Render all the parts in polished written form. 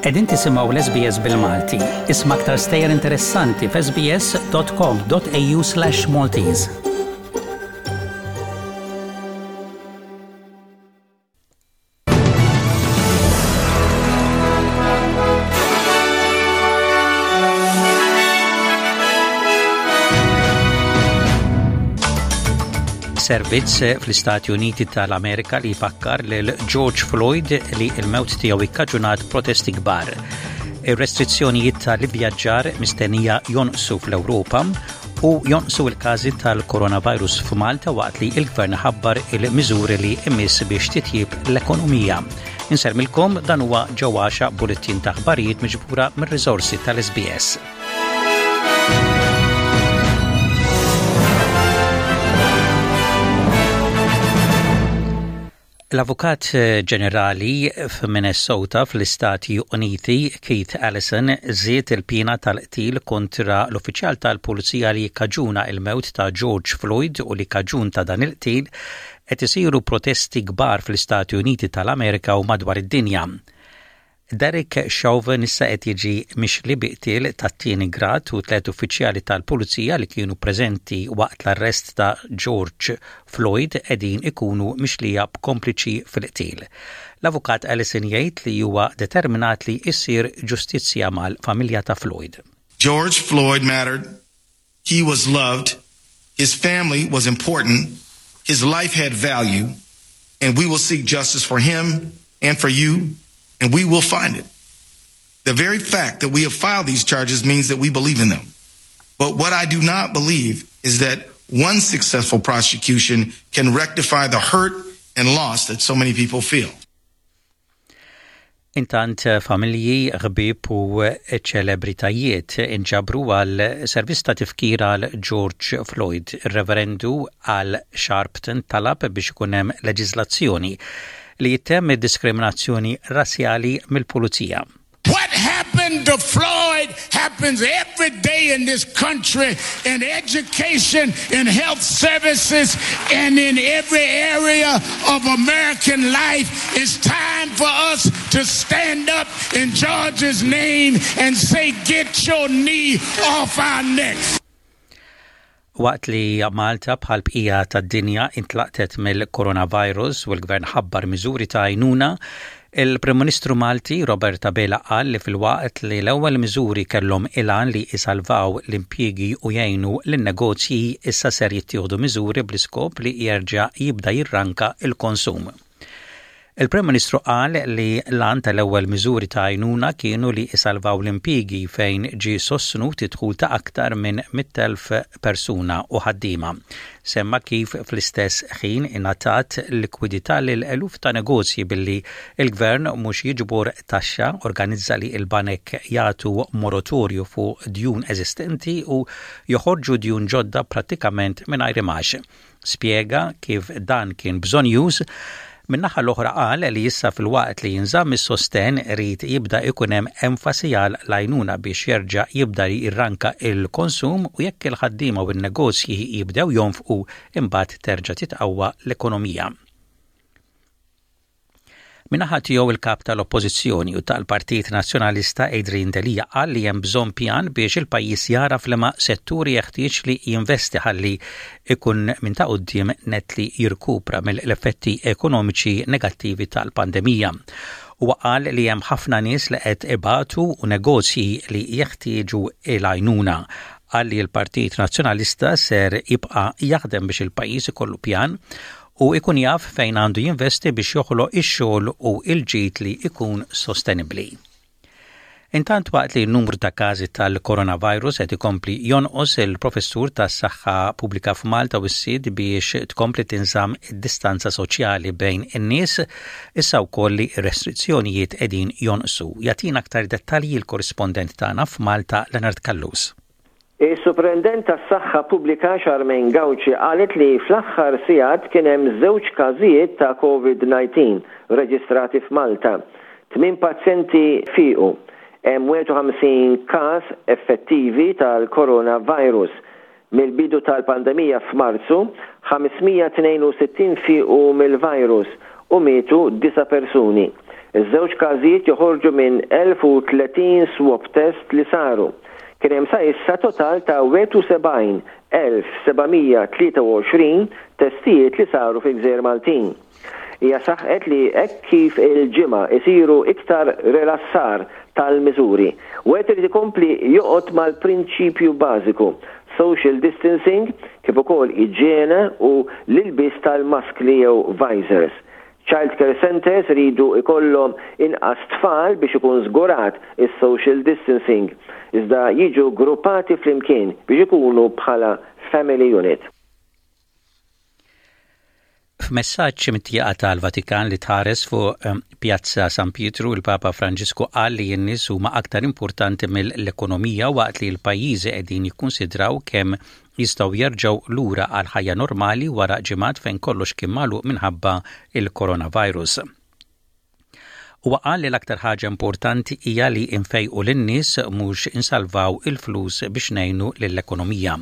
Qegħdin tisimgħu l-SBS bil-Malti. Isma' aktar stejjer interessanti f'sbs.com.au/Maltese. Servizz fl-Istati Uniti tal-Amerika li jfakkar lil George Floyd li l-mewt tiegħu ikkaġunat protesti kbar. Ir-restrizzjonijiet tal-ivvjaġġar mistennija jonqsu fl-Ewropa u jonqsu l-każi tal-coronavirus f'Malta waqt li l-Gvern ħabbar il-miżuri li imiss biex titjib l-ekonomija. Insermilkom dan huwa ġewwaxa bulettin ta' aħbarijiet miġbura mir-riżorsi tal-SBS. L-Avukat Ġenerali f'Minnesota fl-Istati Uniti, Keith Ellison, żied il-piena tal-qtil kontra l-uffiċjal tal-pulizija li kkaġuna l-mewt ta' George Floyd u li kaġun ta' dan il-qtil qed isiru protesti kbar fl-Istati Uniti tal-Amerika u madwar id-dinja. Derek Chauvin issa qed jiġi mixli bi qtil tat-tieni grad u tlett uffiċjali tal-pulizija li kienu preżenti waqt l-arrest ta' George Floyd qegħdin ikunu mixlija b'kompliċi fil-qtil. L-Avukat Ellison jgħid li huwa determinat li issir ġustizzja mal-familja ta' Floyd. George Floyd mattered He was loved, his family was important, his life had value, and we will seek justice for him and for you, and we will find it. The very fact that we have filed these charges means that we believe in them. But what I do not believe is that one successful prosecution can rectify the hurt and loss that so many people feel. Intant familji, ħbieb u ċelebritajiet inġabru għal servizz ta' tifkir għal George Floyd. Ir-Reverendu Al Sharpton talab biex ikun hemm leġiżlazzjoni li jittemm id-diskriminazzjoni razzjali mill-pulizija. What happened to Floyd happens every day in this country in education, in health services, and in every area of American life. It's time for us to stand up in George's name and say, get your knee off our necks. Waqt li Malta bħal bqija tad-dinja intlaqtet mill-coronavirus u l-Gvern ħabbar miżuri ta' għajnuna, il-Prim Ministru Malti Robert Abela qal li filwaqt li l-ewwel miżuri kellhom il-għan li jsalvaw l-impjiegi u jgħinu lin-negozji, issa ser jittieħdu miżuri bl-iskop li jerġa' jibda jirranka l-konsum. Il-Prim Ministru qal li l-għan tal-ewwel miżuri ta' għajnuna kienu li jsalvaw l-impjiegi fejn ġie sostnut id-dħul ta' aktar minn 100,000 persuna u ħaddiema. Semma kif fl-istess ħin ingħatat likwidità lil eluf ta' negozji billi l-Gvern mhux jiġbor taxxa, organizza li l-banek jagħtu moratorju fuq djun eżistenti u joħorġu djun ġodda prattikament mingħajr imgħax. Spjega kif dan kien bżonnjuż. Min-naħa l-oħra qal li issa filwaqt li jinżamm is-sostenn irid jibda jkun hemm enfasi għal l-għajnuna biex jerġa' jibda jirranka l-konsum u jekk il-ħaddiema u n-negozji jibdew jonfqu imbagħad terġa' titqawwa l-ekonomija. Min-naħa tiegħu il-Kap tal-Oppożizzjoni u tal-Partit Nazzjonalista Adrian Delia qal li hemm bżonn pjan biex il-pajjiż jagħraf liema setturi jeħtieġ li jinvesti ħalli ikun minn ta' quddiem nett li jirkupra mill-effetti ekonomiċi negattivi tal-pandemija. Huwa qal li hemm ħafna nies li qed ibatu u negozji li jeħtieġu l-għajnuna. Qal li l-Partit Nazzjonalista ser jibqa' jaħdem biex il-pajjiż ikollu pjan u jkun jaf fejn għandu jinvesti biex joħloq ix-xogħol u l-ġid li jkun sostenibbli. Intant waqt li n-numru ta' każi tal-coronavirus qed ikompli jonqos, il-Professur tas-Saħħa Pubblika f'Malta wissiet biex tkompli tinżamm id-distanza soċjali bejn in-nies issa wkoll li r-restrizzjonijiet qegħdin jonqsu. Jagħtina aktar dettalji l-korrispondent tagħna f'Malta Leonard Callus. Is-Suprintendent tas-Saħħa Pubblika Charmaine Gauci qalet li fl-aħħar sigħat kien hemm żewġ każijiet ta' Covid-19 reġistrati f'Malta. Tmien pazjenti fiequ. Hemm 51 każ effettivi tal-coronavirus. Mill-bidu tal-pandemija f'Marzu, 562 fiequ mill-virus u mietu disa' persuni. Iż-żewġ każijiet joħorġu minn 1,030 swab test li saru. Kien hemm sa issa total ta' 71,723 testijiet li saru fil-gżejjer Maltin. Hija saħqet li hekk kif il-Ġimgħa isiru iktar rilassar tal-miżuri, wieħed irid ikompli joqgħod mal-prinċipju bażiku, social distancing kif ukoll iġjene u l-ilbies tal-maskli jew visors. Child care centres iridu jkollhom inqas tfal biex ikun żgurat is-social distancing, iżda jiġu ggruppati flimkien biex ikunu bħala family unit. F'messaġġ mit-tieqa tal-Vatikan li tħares fuq Pjazza San Pietru, il-Papa Franġisku qal li n-nies huma aktar importanti mill-ekonomija waqt li l-pajjiżi qegħdin jikkunsidraw kemm jistgħu jerġgħu lura għal ħajja normali wara ġimgħat fejn kollox kien magħluq minħabba il-coronavirus. Huwa qal li l-aktar ħaġa importanti hija li nfejqu lin-nies mhux insalvaw il-flus biex ngħinu lill-ekonomija.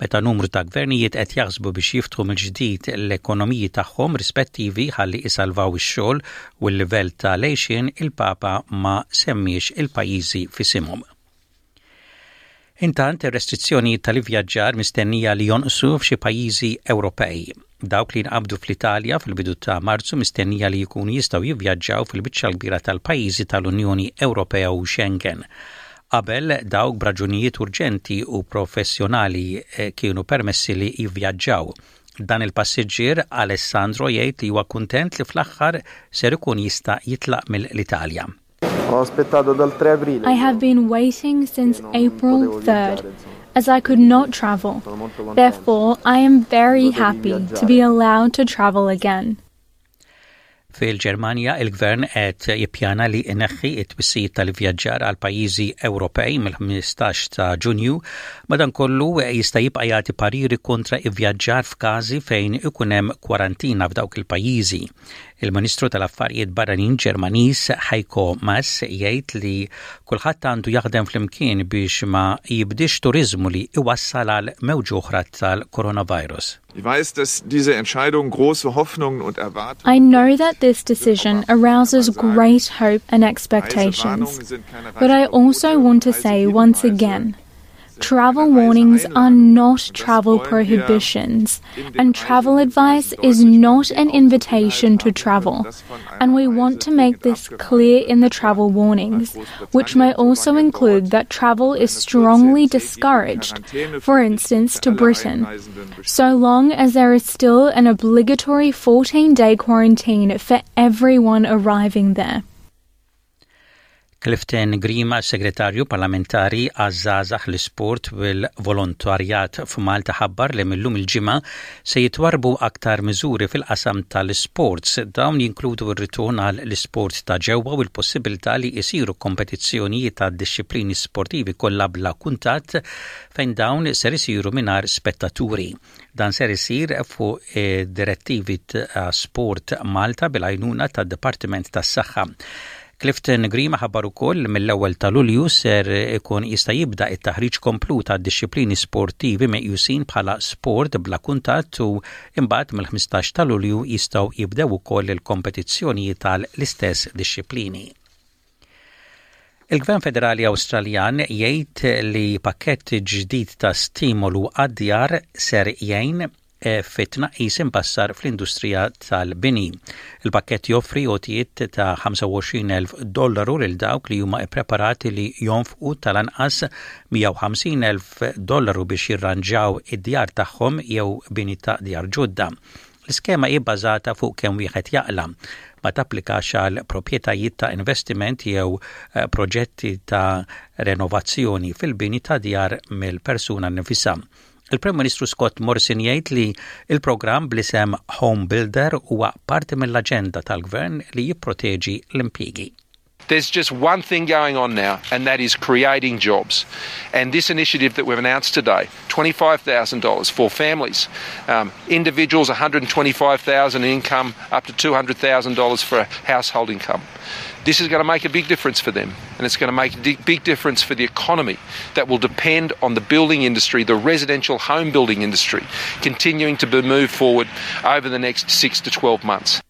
Meta numru ta' gvernijiet qed jaħsbu biex jiftħu mill-ġdid l-ekonomiji tagħhom rispettivi ħalli isalvaw ix-xogħol u l-livell ta' l-għixien, il-Papa ma semmiex il-pajjiżi f'isimhom. Intant, ir-restrizzjonijiet tal-ivvjaġġar mistennija li jonqsu f'xi pajjiżi Ewropej. Dawk li nqabdu fl-Italja fil-bidu ta' Marzu mistennija li jkunu jistgħu jivvjaġġaw fil-biċċa l-kbira tal-pajjiżi tal-Unjoni Ewropea u Schengen. Qabel, dawk b'raġunijiet urġenti u professjonali eh, kienu permessi li jivvjaġġaw. Dan il-passiġġier Alessandro jgħid li huwa kuntent li fl-aħħar ser ikun jista' jitlaq mill-Italja. I have been waiting since April 3rd as I could not travel. Therefore, I am very happy to be allowed to travel again. Fil-Ġermanja, il-gvern qed jippjana li jneħħi t-twissijiet tal-ivvjaġġar għal pajjiżi Ewropej mill-15 ta' Ġunju, madankollu jista' jibqa' jagħti pariri kontra ivvjaġġar f'każi fejn ikun hemm kwarantina f'dawk il-pajjiżi. Il-Ministru tal-Affarijiet Barranin Ġermaniż Heiko Maas jgħid li kulħadd għandu jaħdem flimkien biex ma jibdiex turiżmu li iwassal għal mewġa oħra tal-coronavirus. Ich weiß, dass diese Entscheidung große Hoffnungen und Erwartungen I know that this decision arouses great hope and expectations, but I also want to say once again Travel warnings are not travel prohibitions, and travel advice is not an invitation to travel. And we want to make this clear in the travel warnings, which may also include that travel is strongly discouraged, for instance, to Britain, so long as there is still an obligatory 14 day quarantine for everyone arriving there. Clifton Grima, Segretarju Parlamentari għaż-Żgħażagħ, l-Isport u l-Volontarjat f'Malta ħabbar li mil-lum il-Ġimgħa se jitwarrbu aktar miżuri fil-qasam tal-isports. Dawn jinkludu r-ritorn għal l-isport ta' ġewwa u l-possibilità li jsiru kompetizzjonijiet ta' dixxiplini sportivi kollha bla kuntatt fejn dawn ser isiru mingħajr spettaturi. Dan ser isir fuq direttivi ta' Sport Malta bil-għajnuna tad-Dipartiment tas-Saħħa. Clifton Grima ħabbar ukoll li mill-ewwel ta' Lulju ser ikun jista' jibda t-taħriġ komplut għad-dixxiplini sportivi meqjusin bħala sport bla kuntatt u imbagħad mill-15 ta' Lulju jistgħu jibdew ukoll il-kompetizzjonijiet għal l-istess dixxiplini. Il-Gvern Federali Awstraljan jgħid li pakkett ġdid ta' stimolu għad-djar ser jgħin eh, fit-tnaqqis imbassar fl-industrija tal-bini. Il-pakkett joffri għotjiet ta' 25,000 dollaru lil dawk li huma ippreparati li jonfqu tal-anqas 150,000 dollaru biex jirranġaw id-djar tagħhom jew bini ta' djar ġodda. L-iskema hi bbażata fuq kemm wieħed jaqla'. Ma tapplikax għal proprjetajiet ta' investiment jew eh, proġetti ta' renovazzjoni fil-bini ta' djar mill-persuna nnifisha. Il-Prim Ministru Scott Morrison jgħid li il-programm bl-isem Home Builder huwa parti mill-aġenda tal-gvern li jipproteġi l-impjiegi. There's just one thing going on now, and that is creating jobs. And this initiative that we've announced today, $25,000 for families, um, individuals $125,000 income, up to $200,000 for household income. This is going to make a big difference for them, and it's going to make a big difference for the economy that will depend on the building industry, the residential home building industry, continuing to be moved forward over the next six to 12 months.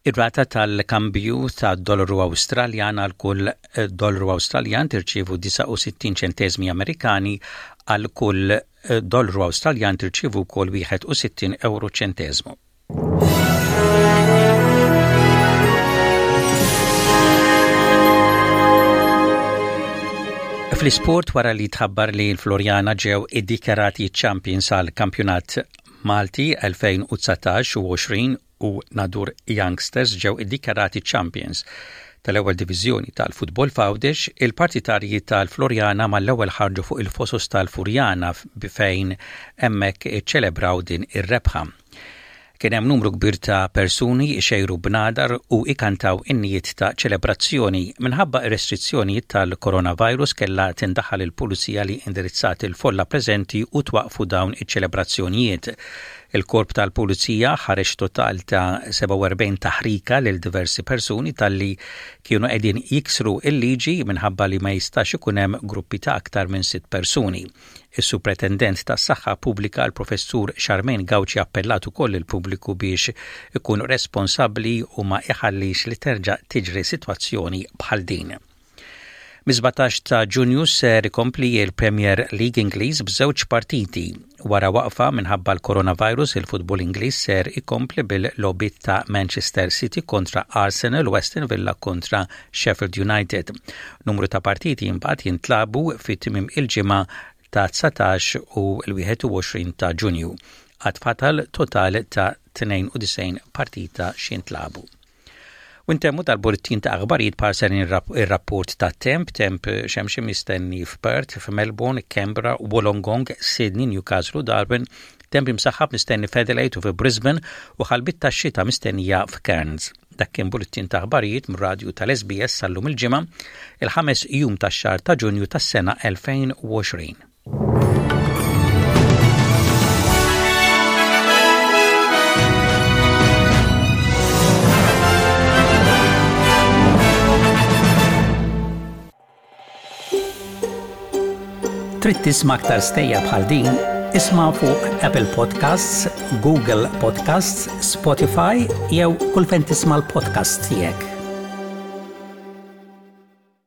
Ir-rata tal-kambju ta' dollaru Awstraljan għal kull dollaru Awstraljan tirċievu 69 ċenteżmi Amerikani għal kull dollaru Awstraljan tirċievu wkoll 61 ewro ċenteżmu. Fl-isport wara li tħabbar li l-Floriana ġew iddikjarati champions għal kampjonat Malti 2019 u 20 u Nadur Youngsters ġew iddikjarati champions tal-ewwel diviżjoni tal-futbol f'Għawdex, il-partitarji tal-Floriana mal-ewwel ħarġu fuq il-fosos tal-Furjana fejn hemmhekk iċċelebraw din ir-rebħa. Kien hemm numru kbir ta' persuni jxejru bnadar u ikantaw innijiet ta' ċelebrazzjoni. Minħabba r-restrizzjonijiet tal-coronavirus kellha tindaħal il-pulizija li indirizzat il-folla preżenti u twaqqfu dawn iċ-ċelebrazzjonijiet. Il-Korp tal-Pulizija ħareġ total ta' 47 taħrika lil diversi persuni talli kienu qegħdin jiksru l-liġi minħabba li ma jistax ikun hemm gruppi ta' aktar minn sitt persuni. Is-Supretendent tas-Saħħa Pubblika l-Professur Charmaine Gauci appellat ukoll lill-pubbliku biex ikun responsabbli u ma iħallix li terġa' tiġri sitwazzjoni bħal din. Mis-17 ta' Ġunju ser ikompli il-Premier League Ingliż b'żewġ partiti. Wara waqfa minħabba l-coronavirus, il-futbol Ingliż ser ikompli bil-logħbiet ta' Manchester City kontra Arsenal u Aston Villa kontra Sheffield United. Numru ta' partiti imbagħad jintlagħbu fi tmiem il-ġimgħa ta' 19 u l-21 ta' Ġunju. Għad fatal total ta' 92 partita x'jintlagħbu. U ntemmu dal-bulletin ta' aħbarijiet b'ħarsa lejn ir-rapport tat-temp, temp xemxi mistenni f'Perth, f'Melbourne, Canberra, Wollongong, Sydney, Newcastle u Darwin, temp imsaħħab mistenni f'Adelaide u fi Brisbane u ħalbiet tax-xita mistennija f'Cairns. Dak kien bulletin ta' aħbarijiet mir-radju tal-SBS sal-lum il-Ġimgħa, il-ħames jum tax-xahar ta' Ġunju tas-sena 2020. Trid tisma' aktar stejjer bħal din? Isma' fuq Apple Podcasts, Google Podcasts, Spotify jew kull fejn tisma' l-podcasts tiegħek.